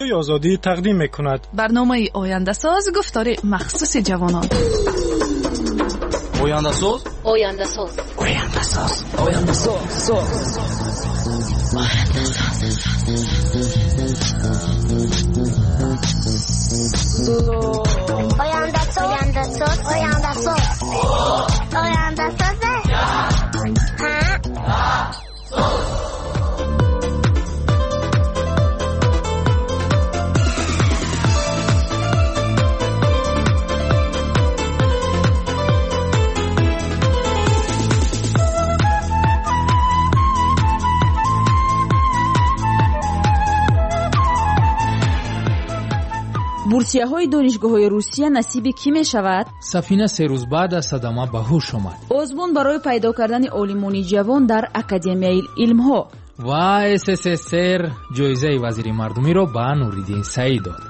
Радиои Озодӣ тақдим мекунад. Барномаи Ояндасоз, гуфтори махсуси ҷавонон. Ояндасоз, Ояндасоз, Ояндасоз, Ояндасоз, соз. Ояндасоз, Ояндасоз, Ояндасоз, Ояндасоз. Бурсияҳои донишгоҳҳои Русия насиби кӣ мешавад? Сафина 3 рӯз баъд аз садама ба ҳуш омад. Озмун барои пайдо кардани олимони ҷавон дар Академияи илмҳо. Ва СССР ҷоизаи вазири мардумиро ба Нуриддин Саид дод.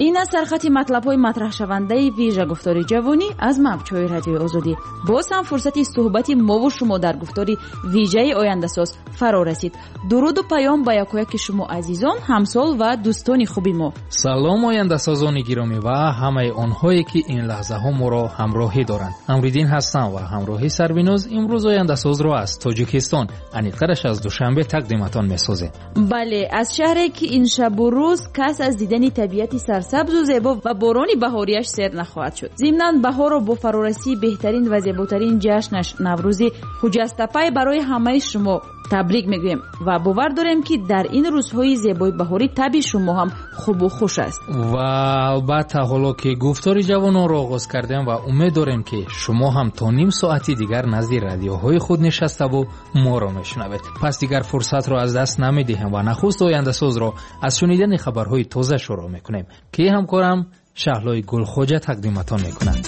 Ин аз сархати матлабҳои матраҳшавандаи вижа гуфтори ҷавонӣ аз мавҷҳои Радиои Озодӣ. Боз ҳам фурсати суҳбати мову шумо дар гуфтори вижаи Ояндасоз фаро расид. Дуруду паём ба якояки шумо азизон, ҳамсол ва дӯстони хуби мо. Салом ояндасозони гиромӣ ва ҳамаи онҳое ки ин лаҳзаҳо моро ҳамроҳӣ доранд. Амриддин ҳастам ва ҳамроҳи Сарвиноз имрӯз Ояндасозро аз Тоҷикистон, аниқтараш аз Душанбе тақдиматон месозем. Бале, аз шаҳре ки ин шабу рӯз кас аз дидани табиати сарсабзу зебо ва борони баҳориаш сер нахоҳад шуд. Зимнан баҳорро бо фарорасии беҳтарин ва зеботарин ҷашнаш Наврӯзи хуҷастапай барои ҳамаи шумо табрик мегӯем ва бовар дорем, ки дар ин рӯзҳои зебои баҳорӣ таби шумо ҳам хубу хуш аст. Ва албатта ҳоло ки гуфтори ҷавононро оғоз кардем ва умед дорем, ки шумо ҳам то ним соати дигар назди радиоҳои худ нишаставу моро мешунавед. Пас дигар фурсатро аз даст намедиҳем ва нахуст Ояндасозро аз шунидани хабарҳои тоза шурӯъ мекунем, ки ҳамкорам Шаҳлои Гулхоҷа тақдиматон мекунад.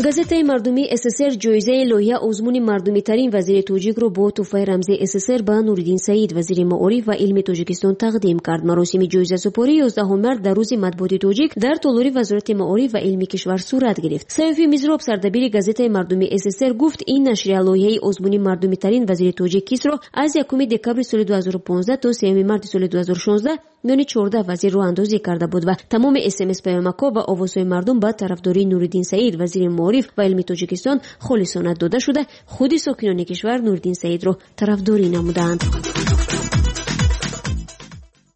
Газетаи мардумии СССР ҷоизаи лоиҳа озмуни мардумитарин вазири тоҷикро бо тӯҳфаи рамзии СССР ба Нуриддин Саид, вазири маориф ва илми Тоҷикистон тақдим кард. Маросими ҷоизасупорӣ 11 март дар рӯзи матбуоти тоҷик дар толори Вазорати маориф ва илми кишвар сурат гирифт. Саёфи Мизроб, сардабири газетаи мардумии СССР, гуфт ин нашрия лоиҳаи озмуни мардумитарин вазири тоҷик кисро аз 1 декабри соли 2015 то 3 марти соли 2016 миёни 14 вазир роҳандозӣ карда буд ва тамоми СМС паёмакҳо ва овозҳои мардум ба тарафдории Нуриддин Саид, вазири маориф ва илми Тоҷикистон холисона дода шуда, худи сокинони кишвар Нуриддин Саидро тарафдорӣ намуданд.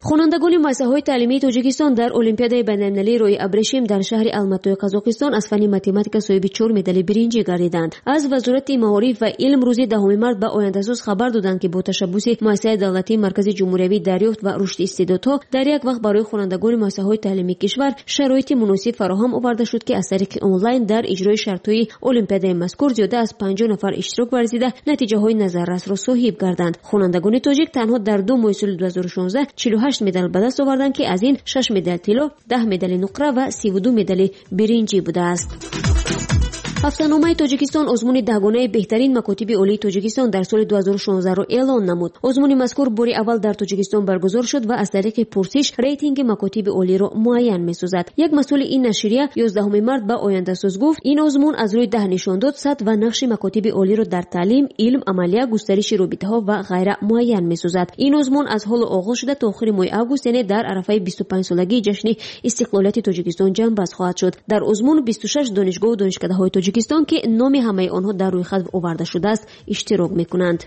Хонандагони муассисаҳои таълимии Тоҷикистон дар Олимпиадаи байналмилалии роҳи абрешим дар шаҳри Алматои Қазоқистон аз фанни математика соҳиби 4 медали биринҷӣ гардиданд. Аз Вазорати маориф ва илм рӯзи 10 март ба Ояндасоз хабар доданд, ки бо ташаббуси муассисаи давлатии Маркази ҷумҳуриявии дарёфт ва рушди истеъдодҳо дар як вақт барои хонандагони муассисаҳои таълимии кишвар шароити муносиб фароҳам оварда шуд, ки аз тариқи онлайн дар иҷрои шартҳои олимпиадаи мазкур зиёда аз 50 нафар иштирок варзида натиҷаҳои назаррасро соҳиб гарданд. Хонандагони тоҷик танҳо дар 2 моҳи соли 2016 48 медал ба даст оварданд, ки аз ин 6 медал тилло, 10 медали нуқра ва 32 медали биринҷӣ будааст. Ҳафтаномаи Тоҷикистон озмуни даҳгонаи беҳтарин макотиби олии Тоҷикистон дар соли 2016-ро эълон намуд. Озмуни мазкур бори аввал дар Тоҷикистон баргузор шуд ва аз тариқи пурсиш рейтинги макотиби олиро муайян месозад. Як масъули ин нашрия 11 март ба Ояндасоз гуфт, ин озмун аз рӯи 10 нишондод сатҳ ва нақши макотиби олиро дар таълим, илм, амалия, густариши робитаҳо ва ғайра муайян месозад. Ин озмун аз ҳоло оғоз шуда то охири моҳи август, яъне дар арафаи 25-солагии ҷашни истиқлолияти Тоҷикистон ҷамъбаст хоҳад шуд. Дар озмун 26 донишгоҳу донишкадаҳои Тоҷикистон, ки номи ҳамаи онҳо дар рӯйхат оварда шудааст, иштирок мекунанд.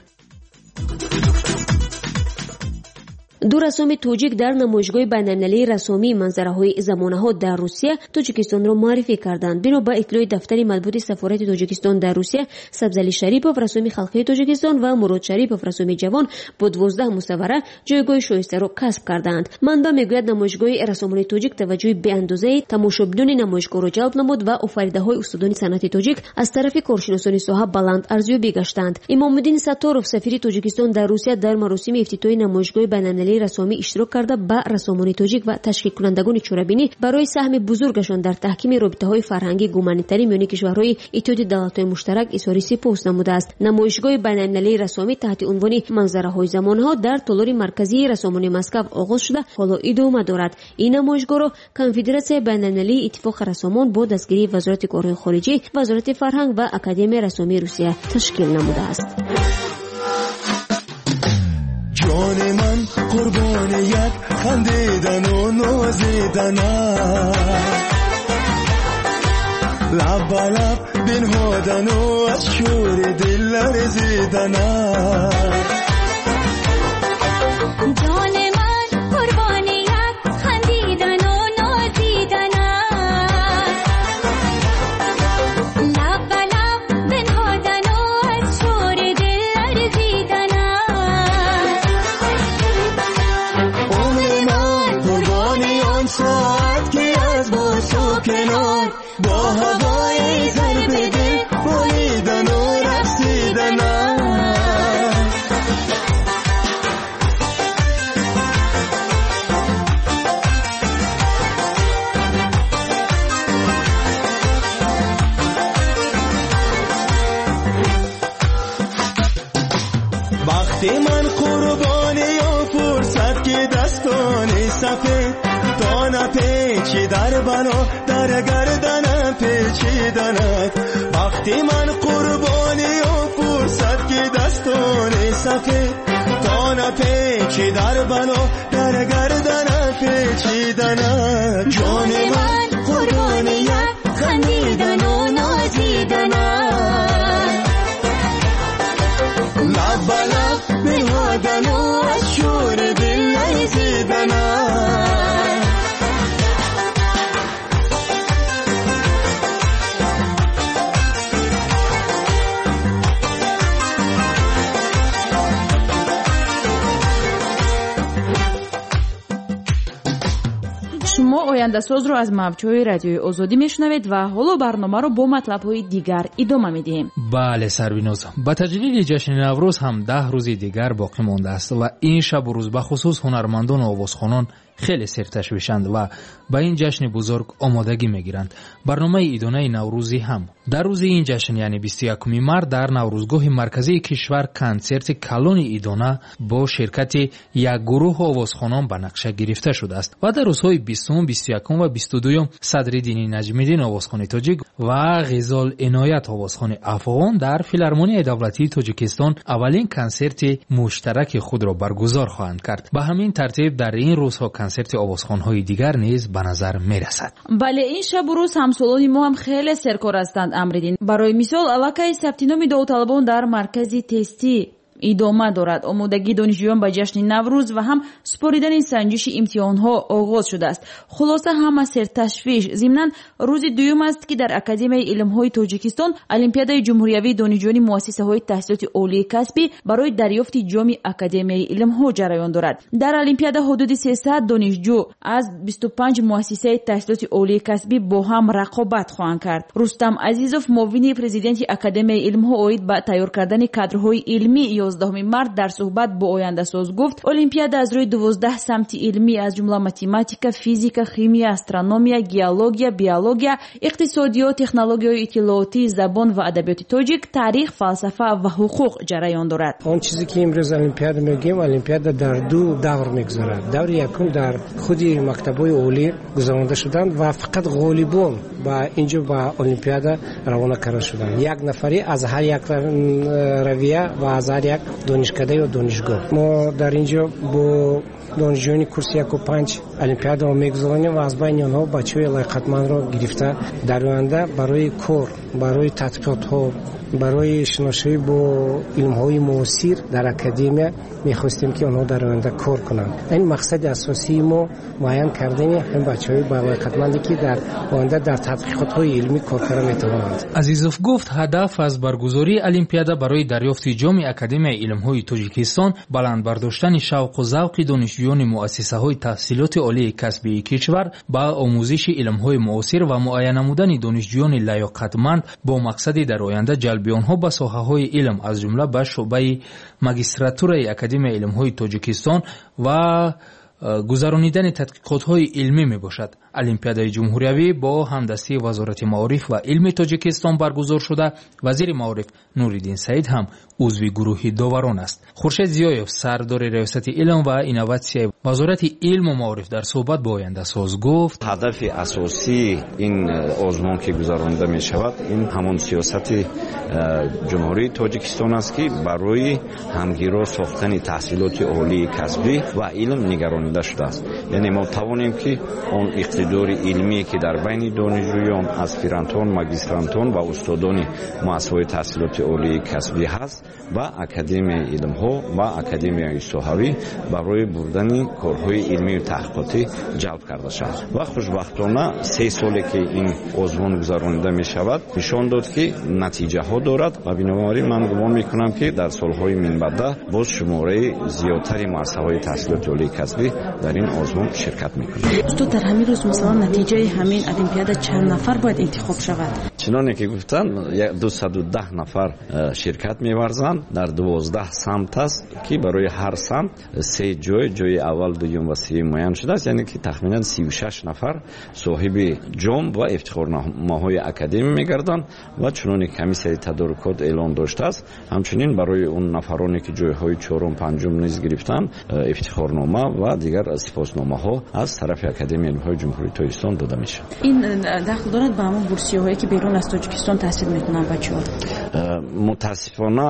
Ду рассоми тоҷик дар намоишгоҳи байналмилалии рассомии манзараҳои замонаҳо дар Русия Тоҷикистонро муаррифӣ карданд. Бино ба иттилои дафтари матбуоти сафорати Тоҷикистон дар Русия, Сабзали Шарипов, рассоми халқии Тоҷикистон, ва Мурод Шарипов, рассоми ҷавон, бо 12 мусаввара ҷойгоҳи шоистаро касб кардаанд. Манбаъ мегӯяд, намоишгоҳи рассомони тоҷик таваҷҷӯҳи беандозаи тамошобинони намоишгоҳро ҷалб намуд ва офаридаҳои устодони санъати тоҷик аз тарафи коршиносони соҳа баланд арзёбӣ гаштанд. Имомуддин Сатторов, сафири Тоҷикистон дар Русия, дар маросими ифтитоҳи намоишгоҳи байналмилалии рассомӣ иштирок карда ба рассомони тоҷик ва ташкилкунандагони чорабинӣ барои саҳми бузургашон дар таҳкими робитаҳои фарҳангӣ гуманитарӣ миёни кишварҳои Иттиҳоди давлатҳои муштарак изҳори сипос намудааст. Намоишгоҳи байналмилалии рассомӣ таҳти унвони манзараҳои замонҳо дар толори марказии рассомони Москав оғоз шуда ҳоло идома дорад. Ин намоишгоҳро Конфедератсияи байналмилалии иттифоқи рассомон бо дастгирии Вазорати корҳои хориҷӣ, Вазорати фарҳанг ва Академияи рассомии Русия ташкил намудааст. ҷони ман як хандидану нозиданат, лаб ба лаб бинҳодану аз шӯри дил ларзиданат. Ҷони ман қурбони як хандидану нозиданат, лаб ба лаб бинҳодану аз шӯри дил ларзиданат. Умри ман қурбони он соат ки аз бӯсу канор бо ҳавои зарби дил болидану рақсиданат. Бахти ман қурбони он фурсат ки дастони сафед то напечи дар бало дар гарданам печиданат. Бахти ман қурбони он фурсат ки дастони сафед то напечи дар бало дар гарданам печиданат. Ҷони ман қурбони як хандидану нозиданат, лаб ба лаб бинҳодану аз шӯри дил ларзиданат. Шумо ояндасозро аз мавҷҳои радиои Озодӣ мешунавед ва ҳоло барномаро бо матлабҳои дигар идома медиҳем. Бале, Сарвиноз, ба таҷлили ҷашни Наврӯз ҳам 10 рӯзи дигар боқӣ мондааст ва ин шабу рӯз бахусус ҳунармандону овозхонон хеле серташвишанд ва ба ин ҷашни бузург омодагӣ мегиранд. Барномаи идонаи наврӯзӣ ҳам дар рӯзи ин ҷашн, яъне 21 март, дар Наврӯзгоҳи марказии кишвар консерти калони идона бо ширкати як гурӯҳ овозхонон ба нақша гирифта шудааст ва дар рӯзҳои 20, 21 ва 22 Садриддини Наҷмиддин овозхони тоҷик ва Ғизол Иноят овозхони афғон дар Филармонияи давлатии Тоҷикистон аввалин консерти муштараки худро баргузор хоҳанд кард. Ба ҳамин тартиб дар ин рӯзҳо консерти овозхонҳои дигар низ ба назар мерасад. Бале, ин шабу рӯз ҳамсолони мо ҳам хеле серкор ҳастанд, Амриддин. Барои мисол, аллакай сабти номи довталабон дар маркази тестӣ идома дорад. Омодагии донишҷӯён ба ҷашни Наврӯз ва ҳам супоридани санҷиши имтиҳонҳо оғоз шудааст. Хулоса, ҳама серташвиш. Зимнан, рӯзи дуюм аст ки дар Академияи илмҳои Тоҷикистон Олимпиадаи ҷумҳуриявии донишҷӯёни муассисаҳои таҳсилоти олии касбӣ барои дарёфти ҷоми Академияи илмҳо ҷараён дорад. Дар олимпиада ҳудуди 300 донишҷӯ аз 25 муассисаи таҳсилоти олии касбӣ бо ҳам рақобат хоҳанд кард. Рустам Азизов, муовини президенти Академияи илмҳо оид ба тайёр кардани кадрҳои илмӣ 11 март дар суҳбат бо ояндасоз гуфт, олимпиада аз рӯи 12 самти илмӣ аз ҷумла математика, физика, химия, астрономия, геология, биология, иқтисодиёт, технологияҳои иттилоотӣ, забон ва адабиёти тоҷик, таърих, фалсафа ва ҳуқуқ ҷараён дорад. Он чизе ки имрӯз олимпиада мегӯем, олимпиада дар ду давр мегузарад. Даври якум дар худи мактабҳои олӣ гузаронда шуданд ва фақат ғолибон ба инҷо ба олимпиада равона карда шуданд. Як нафаре аз ҳар як равия ва аз ҳар як донишкада ё донишгоҳ. Мо дар инҷо бо донишҷӯёни курси 1 ва 5 олимпиадаро мегузаронем ва аз байни онҳо бачаҳои лоиқатмандро гирифта дар оянда барои кор, барои тадқиқотҳо, барои шиносоӣ бо илмҳои муосир дар академия мехостем ки онҳо дар оянда кор кунанд. Ин мақсади асосии мо муайян кардани ҳамин бачаҳои лоиқатманде ки дар оянда дар тадқиқотҳои илмӣ кор карда метавонанд. Азизов гуфт, ҳадаф аз баргузории олимпиада барои дарёфти ҷоми Академияи илмҳои Тоҷикистон баланд бардоштани шавқу завқи донишҷӯёни муассисаҳои таҳсилоти олии касбии кишвар ба омӯзиши илмҳои муосир ва муайян намудани донишҷӯёни лаёқатманд бо мақсади дар оянда ҷалби онҳо ба соҳаҳои илм, аз ҷумла ба шӯъбаи магистратураи Академияи илмҳои Тоҷикистон ва гузаронидани тадқиқотҳои илмӣ мебошад. Олимпиадаи ҷумҳуриявӣ бо ҳамдастии Вазорати маориф ва илми Тоҷикистон баргузор шуда, вазири маориф Нуриддин Саид ҳам узви гурӯҳи доварон аст. Хуршед Зиёев, сардори Раёсати илм ва инноватсияи Вазорати илму маориф, дар суҳбат бо Ояндасоз гуфт: ҳадафи асосии ин озмун, ки гузаронида мешавад, ин ҳамон сиёсати Ҷумҳурии Тоҷикистон аст, ки барои ҳамгиро сохтани таҳсилоти олии касбӣ ва илм нигаронида шудааст. Яъне мо тавонем, ки он иқтидори илмие, ки дар байни донишҷӯён, аспирантон, магистрантон ва устодони муассисаҳои таҳсилоти олии касбӣ ҳаст, ба Академияи илмҳо ва Академияи соҳавӣ барои бурдани корҳои илмию таҳқиқотӣ ҷалб карда шавад. Ва хушбахтона 3 соле, ки ин озмун гузаронида мешавад, нишон дод, ки натиҷаҳо дорад ва бинобар ин ман гумон мекунам, ки дар солҳои минбаъда боз шумораи зиёдтари муассисаҳои таҳсилоти олии касбӣ дар ин озмун ширкат мекунанд. Устод, дар ҳамин рӯз, масалан, натиҷаи ҳамин олимпиада чанд нафар бояд интихоб шавад? Чуноне ки гуфтанд, 210 нафар ширкат меварзанд. Дар 12 самт аст, ки барои ҳар самт 3 ҷой, ҷои аввал, дуюм ва сеюм муайян шудааст. Яъне ки тахминан 36 нафар соҳиби ҷом ва ифтихорномаҳои академӣ мегарданд ва чуноне комиссияи тадорукот эълон доштааст, ҳамчунин барои он нафароне, ки ҷойҳои чорум, панҷум низ гирифтанд, ифтихорнома ва дигар сипосномаҳо аз тарафи Академияи илмҳои Ҷумҳурии Тоҷикистон дода мешавад. Ин дахл дорад ба ҳамон бурсияҳое, ки берун аз Тоҷикистон таҳсил мекунанд бачаҳо? Мутаассифона,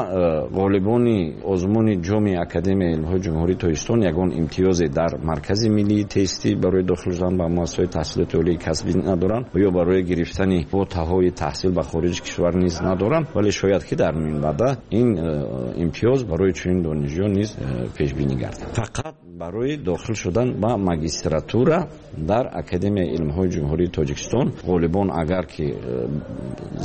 ғолибони озмуни ҷоми Академияи илмҳои Ҷумҳурии Тоҷикистон ягон имтиёзе дар Маркази миллии тестӣ барои дохил шудан ба муассисаҳои таҳсилоти олии касбӣ надоранд ё барои гирифтани квотаҳои таҳсил ба хориҷи кишвар низ надоранд, вале шояд, ки дар минбаъда ин имтиёз барои чунин донишҷӯён низ пешбинӣ гардад. Фақат барои дохил шудан ба магистратура дар Академияи илмҳои Ҷумҳурии Тоҷикистон ғолибон, агар ки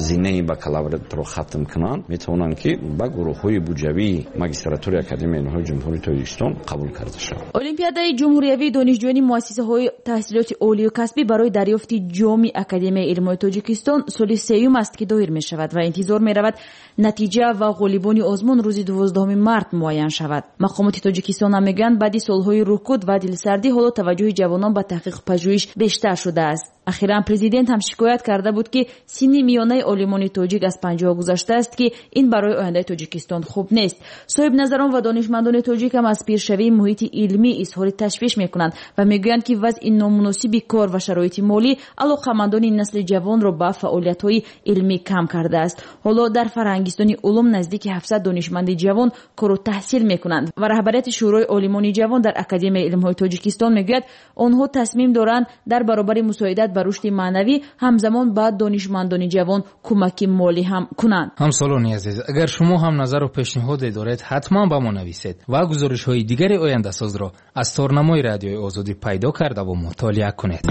зинаи бакалавриатро хатм кунанд, метавонанд, ки ба гурӯҳҳои буҷавии магистратураи Академияи илмҳои Ҷумҳурии Тоҷикистон қабул карда шаванд. Олимпиадаи ҷумҳуриявии донишҷӯёни муассисаҳои таҳсилоти олию касбӣ барои дарёфти ҷоми Академияи илмҳои Тоҷикистон соли сеюм аст, ки доир мешавад ва интизор меравад, натиҷа ва ғолибони озмун рӯзи 12 март муайян шавад. Мақомоти Тоҷикистон ҳам мегӯянд, баъди солҳои рукуд ва дилсардӣ ҳоло таваҷҷӯҳи ҷавонон ба таҳқиқу пажӯҳиш бештар шудааст. Ахиран президент ҳам шикоят карда буд, ки синни миёнаи олимони тоҷик аз 50 гузаштааст, ки ин барои ояндаи Тоҷикистон хуб нест. Соҳибназарон ва донишмандони тоҷик ҳам аз пиршавии муҳити илмӣ изҳори ташвиш мекунанд ва мегӯянд, ки вазъи номуносиби кор ва шароити молӣ алоқамандони насли ҷавонро ба фаъолиятҳои илмӣ кам кардааст. Ҳоло дар Фарҳангистони улум наздики 700 донишманди ҷавон кору таҳсил мекунанд ва раҳбарияти Шӯрои олимони ҷавон дар Академияи илмҳои Тоҷикистон мегӯяд, онҳо тасмим доранд дар баробари мусоидат ба рушди маънавӣ ҳамзамон ба донишмандони ҷавон кӯмаки молӣ ҳам кунанд. Ҳамсолони азиз, агар шумо ҳам назару пешниҳоде доред, ҳатман ба мо нависед ва гузоришҳои дигари Ояндасозро аз торнамои Радиои Озодӣ пайдо кардаву мутолиа кунед.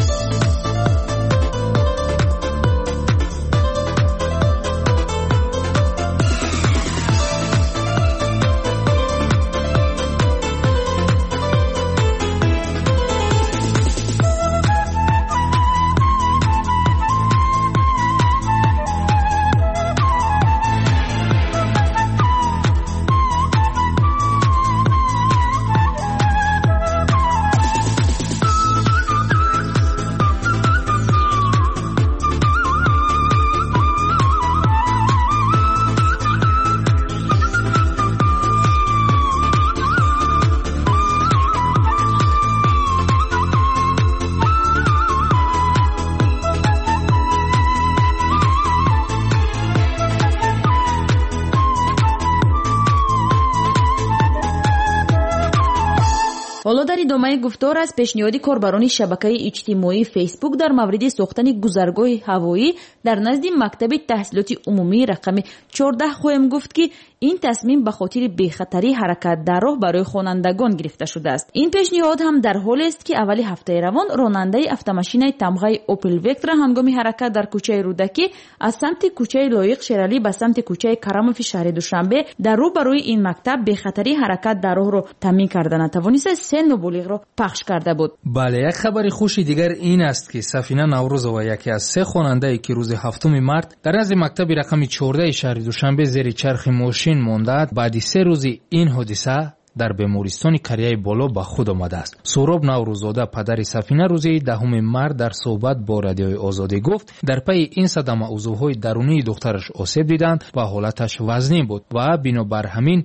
Ҳоло дар идомаи гуфтор аз пешниҳоди корбарони шабакаи иҷтимоии Фейсбук дар мавриди сохтани гузаргоҳи ҳавоӣ дар назди мактаби таҳсилоти умумии рақами 14 хоҳем гуфт, ки ин тасмим ба хотири бехатарии ҳаракат дар роҳ барои хонандагон гирифта шудааст. Ин пешниҳод ҳам дар ҳолест, ки аввали ҳафтаи равон ронандаи автомашинаи тамғаи Опел Вектра ҳангоми ҳаракат дар кӯчаи Рӯдакӣ аз самти кӯчаи Лоиқ Шералӣ ба самти кӯчаи Карамови шаҳри Душанбе дар рӯ ба рӯи ин мактаб бехатарии ҳаракат дар роҳро таъмин карда натавониста, 3 ноболиғро пахш карда буд. Бале, як хабари хуши дигар ин аст, ки Сафина Наврӯзова, яке аз 3 хонандае, ки рӯзи 7 март дар назди мактаби рақами 14 шаҳри Душанбе зери чархи мошин мондаад, баъди 3 рӯзи ин ҳодиса Дар бемористони Қарияи Боло ба худ омадааст. Суҳроб Наврӯззода, падари Сафина, рӯзи 10 март дар суҳбат бо Радиои Озодӣ гуфт, дар пайи ин садама узвҳои дарунии духтараш осеб диданд ва ҳолаташ вазнин буд ва бинобар ҳамин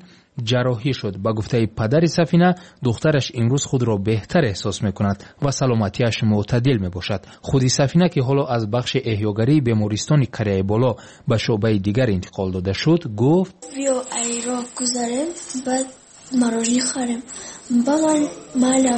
ҷарроҳӣ шуд. Ба гуфтаи падари Сафина, духтараш имрӯз худро беҳтар эҳсос мекунад ва саломатиаш мӯътадил мебошад. Худи Сафина, ки ҳоло аз бахши эҳёгарии бемористони Қарияи Боло ба шӯъбаи дигар интиқол дода шуд, гуфт: Биё, айро гузарем, баъд мороженое харем. Ба ман майли.